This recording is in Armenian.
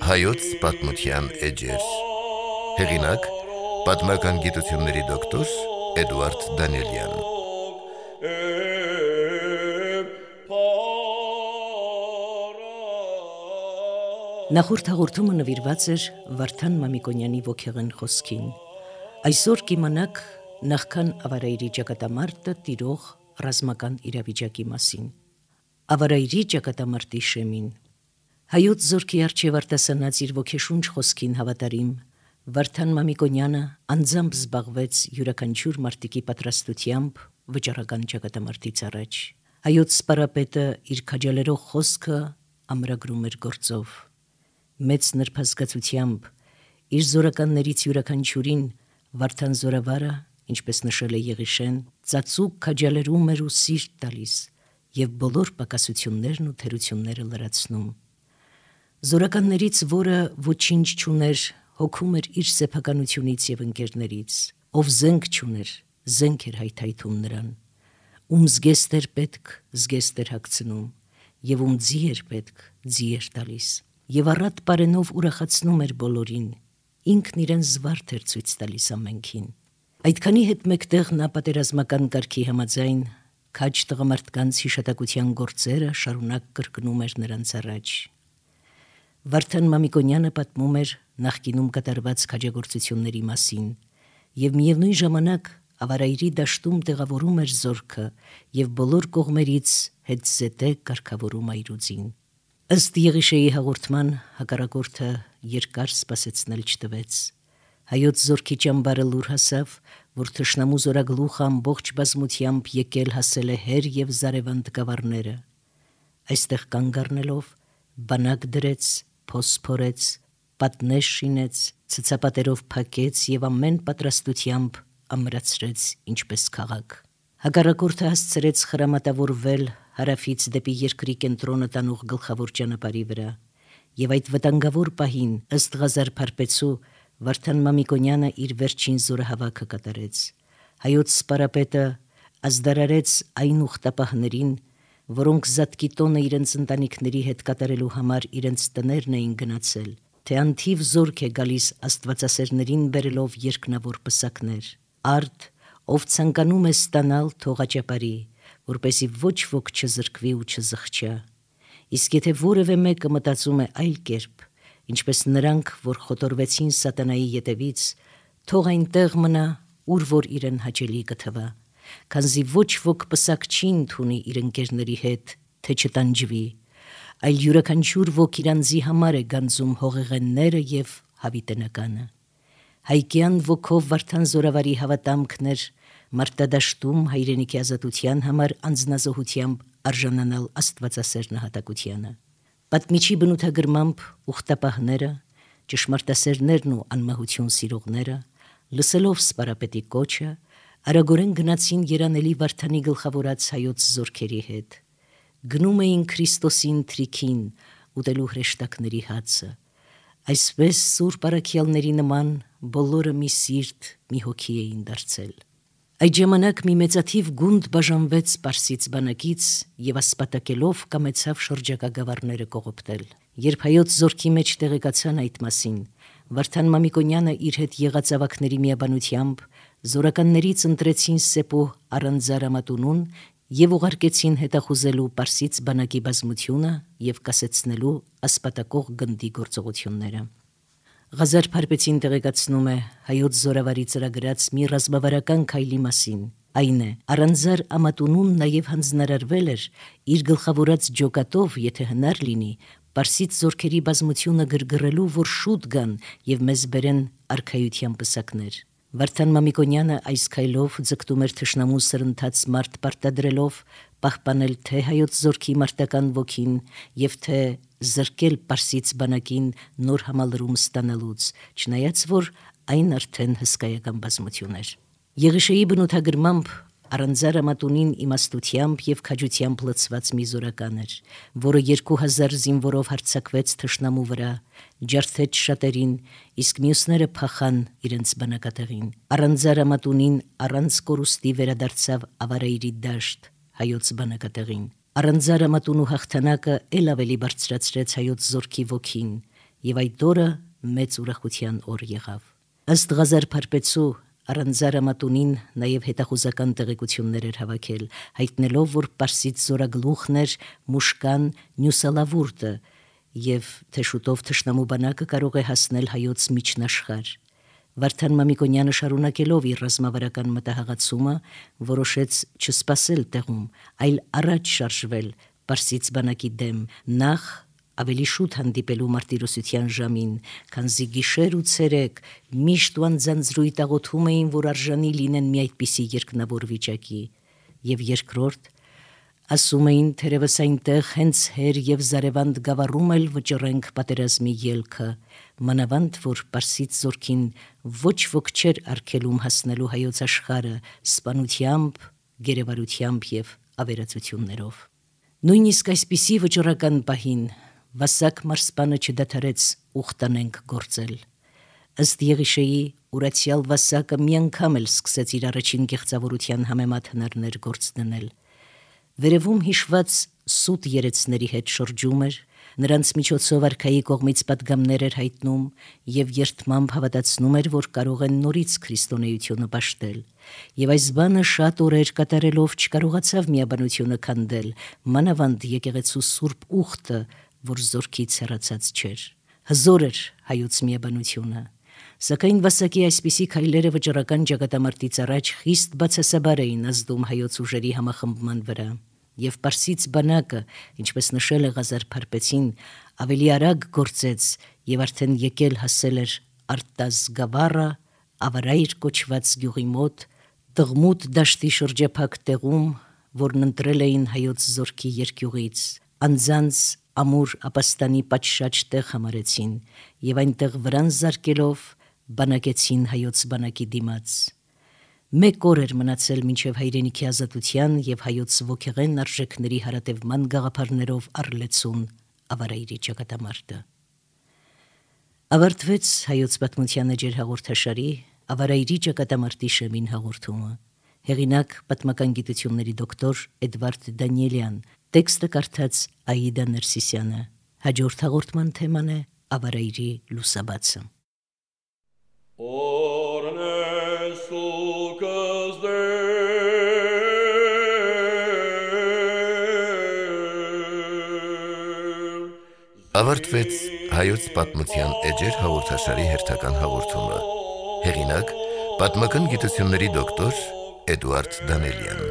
Հայոց պատմության էջեր։ Հեղինակ՝ պատմական գիտությունների դոկտոր Էդուարդ Դանիելյան։ Նախորդ հաղորդումը նվիրված էր Վարդան Մամիկոնյանի ոգեղեն խոսքին։ Այսօր կիմանաք նախքան Ավարայրի ճակատամարտը տիրող ռազմական իրավիճակի մասին։ Ավարայրի ճակատամարտի շեմին Հայոց զորքի առջև արտասանած իր ոգեշունչ խոսքին հավատարիմ Վարդան Մամիկոնյանը անձամբ զբաղվեց յուրաքանչյուր մարտիկի պատրաստությամբ վճռական ճակատամարտից առաջ։ Հայոց սպարապետը իր քաջալերող խոսքը ամրագրում էր գործով։ Մեծ նրբազգացությամբ իր զորականներից յուրաքանչյուրին Վարդան զորավարը, ինչպես նշել է Եղիշեն, ծածուկ քաջալերում էր ու սիրտ տալիս եւ բոլոր պակասություններն ու թերությունները լրացնում։ Զորականներից, որը ոչինչ չուներ, հոգում էր իր սեփականությունից եւ ընկերներից, ով զենք չուներ, զենք էր հայթայթում նրան, ում զգեստ էր պետք, զգեստ էր հագցնում, եւ ում ձի էր պետք, ձի էր տալիս, եւ առատ պարենով ուրախացնում էր բոլորին, ինքն իրեն զվարթ էր ցույց տալիս ամենքին։ Այդքանի հետ մեկտեղ նա պատերազմական կարգի համաձայն քաջ տղամարդկանց հիշատակության գործերը շարունակ կրկնում էր նրանց առաջ։ Վարդան Մամիկոնյանը պատմում էր նախկինում կատարված քաջագործությունների մասին եւ միևնույն ժամանակ Ավարայրի դաշտում տեղավորում էր զորքը եւ բոլոր կողմերից հետզետե կարգավորում այրուձին։ Ըստ Եղիշեի հաղորդման հակառակորդը երկար սպասեցնել չտվեց։ Հայոց զորքի ճամբարը լուր հասավ, որ թշնամու զորագլուխը ամբողջ բազմությամբ եկել հասել է հեր եւ զարևան տկավարները։ Այստեղ կանգ առնելով բանակ դրեց, փոս փորեց, պատնեշ շինեց, ցցապատերով փակեց եւ ամեն պատրաստությամբ ամրացրեց ինչպես քաղաք։ Հակառակորդը հասցրեց խրամատավորվել հարավից դեպի երկրի կենտրոնը տանող գլխավոր ճանապարհի վրա, եւ այդ վտանգավոր պահին, ըստ Ղազար Փարպեցու, Վարդան Մամիկոնյանը իր վերջին զորահավաքը կատարեց։ Հայոց սպարապետը ազդարարեց այն ուխտապահներին, որոնք զատկի տոնը իրենց ընտանիքների հետ կատարելու համար իրենց տներն էին գնացել, թե անթիվ զորք է գալիս աստվածասերներին բերելով երկնավոր պսակներ։ Արդ, ով ցանկանում է ստանալ, թողաճապարի, որպեսի ոչ ոք չզրկվի ու չզղջա։ Իսկ եթե որևէ մեկը մտածում է այլ կերպ, ինչպես նրանք, որ խոտորվեցին սատանայի ետևից, թող այնտեղ մնա, ուր որ իրեն հաճելի կթվա, քանզի ոչ ոք պսակ չի ընդունի իր ընկերների հետ, թե չտանջվի, այլ յուրաքանչյուր ոք իրանձի համար է գանձում հողեղենները եւ հավիտենականը։ Հայկյան ոգով Վարդան զորավարի հավատամքն էր մարտադաշտում հայրենիքի ազատության համար անձնազոհությամբ արժանանալ աստվածասեր նահատակությանը։ Պատմիչի բնութագրմամբ ուխտապահները, ճշմարտասերներն ու անմահություն սիրողները, լսելով սպարապետի կոչը, արագորեն գնացին երանելի Վարդանի գլխավորած հայոց զորքերի հետ։ Գնում էին Քրիստոսին թրիքին, ուտելու հրեշտակների հացը։ Այսպես սուրբ առաքյալների նման բոլորը մի սիրտ, մի հոգի էին դարձել։ Այդ ժամանակ մի մեծաթիվ գունդ բաժանվեց Պարսից բանակից եւ ասպատակելով կամեցավ շրջակա գավառները կողոպտել։ Երբ հայոց զորքի մեջ տեղեկացան այդ մասին, Վարդան Մամիկոնյանը իր հետ եղած ավակների միաբանությամբ զորականներից ընտրեցին Սեպո Արանձարամատունուն եւ ուղարկեցին հետախուզելու Պարսից բանակի բազմությունը եւ կասեցնելու ասպատակող գնդի գործողությունները։ Ղազար Փարպեցին տեղեկացնում է հայոց զորավարի ծրագրած մի ռազմավարական քայլի մասին։ Այն է, Արանձար Ամատունուն նաեւ հանձնարարվել էր իր գլխավորած ջոկատով, եթե հնար լինի, Պարսից զորքերի բազմությունը գրգռելու, որ շուտ գան եւ մեզ բերեն արքայության պսակներ։ Վարդան Մամիկոնյանը այս քայլով ձգտում էր թշնամու սրընթաց մարդ պարտադրելով պահպանել թե հայոց զորքի մարտական ոգին եւ թե զրկել Պարսից բանակին նոր համալրում ստանալուց, չնայած որ այն արդեն հսկայական բազմություն էր։ Եղիշեի բնութագրմամբ Առանձարը մատունին իմաստությամբ և քաջությամբ լցված մի զորական էր, որը 2000 զինվորով հարձակվեց թշնամու վրա, ջարդեց շատերին, իսկ մյուսները փախան իրենց բնակատեղին։ Առանձարը մատունին առանց կորուստի վերադարձավ Ավարայրի դաշտ, հայոց բնակատեղին։ Առանձարը մատունու հաղթանակը էլ ավելի բարձրացրեց հայոց զորքի ոգին, և այդ օրը մեծ ուրախության օր եղավ։ Ըստ Ղազար Փարպեցու Առանձարը մատունին նաև հետախուզական տեղեկություններ էր հավաքել, հայտնելով, որ Պարսից զորագլուխն էր Մուշկան Նյուսալավուրտը և թե շուտով թշնամու բանակը կարող է հասնել հայոց միջնաշխարհ։ Վարդան Մամիկոնյանը շարունակելով իր ռազմավարական մտահղացումը որոշեց չսպասել տեղում, այլ առաջ շարժվել Պարսից բանակի դեմ, նախ ավելի շուտ հանդիպելու մարտիրոսության ժամին, քանզի գիշեր ու ցերեկ միշտ ու անձանձրույթ աղոթում էին, որ արժանի լինեն մի այդպիսի երկնավոր վիճակի, և երկրորդ ասում էին, թերևս այնտեղ հենց հեր և զարևանդ գավառում էլ վճռենք պատերազմի ելքը, մանավանդ որ Պարսից զորքին ոչ ոք չէր արգելում հասնելու հայոց աշխարհը սպանությամբ, գերեվարությամբ և ավերածություններով։ Նույնիսկ այսպիսի վճռական պահին Վասակ մարսպանը չդադարեց ուխտանենք գործել։ Ըստ Եղիշեի ուրացյալ Վասակը մի անգամ էլ սկսեց իր առաջին գեղձավորության համեմատ հնարներ գործ դնել։ Վերևում հիշված սուտ երեցների հետ շրջում էր, նրանց միջոցով արքայի կողմից պատգամներ էր հայտնում և երդմամբ հավատացնում էր, որ կարող են նորից քրիստոնեությունը պաշտել։ Եվ այս բանը շատ օրեր կատարելով չկարողացավ միաբանությունը քանդել, մանավանդ եկեղեցու սուրբ ուխտը, որ զորքից հեռացած չէր։ Հզոր էր հայոց միաբանությունը, սակայն Վասակի այսպիսի քայլերը վճռական ճակատամարտից առաջ խիստ բացասաբար էին ազդում հայոց ուժերի համախմբման վրա, և Պարսից բանակը, ինչպես նշել է Ղազար Փարպեցին, ավելի արագ գործեց և արդեն եկել հասել էր Արտազ գավառը, Ավարայր կոչված գյուղի մոտ, Տղմուտ դաշտի շրջափակ տեղում, որն ընտրել էին հայոց զորքի երկյուղից, անձանց ամուր ապաստանի պատշաճ տեղ համարեցին և այնտեղ վրան զարկելով բանակեցին հայոց բանակի դիմաց։ Մեկ օր էր մնացել մինչև հայրենիքի ազատության և հայոց ոգեղեն արժեքների հարատևման գաղափարներով առլեցուն Ավարայրի ճակատամարտը։ Ավարտվեց հայոց պատմության էջեր հաղորդաշարի Ավարայրի ճակատամարտի շեմին հաղորդումը։ Հեղինակ պատմական գիտությունների դոկտոր Էդվարդ Դանիելյան, տեքստը կարդաց Աիդա Ներսիսյանը։ Հաջորդ հաղորդման թեման է Ավարայրի լուսաբացը։ Ավարտվեց հայոց պատմության էջեր հաղորդաշարի հերթական հաղորդումը։ Հեղինակ պատմական գիտությունների դոկտոր Էդվարդ Դանիելյան։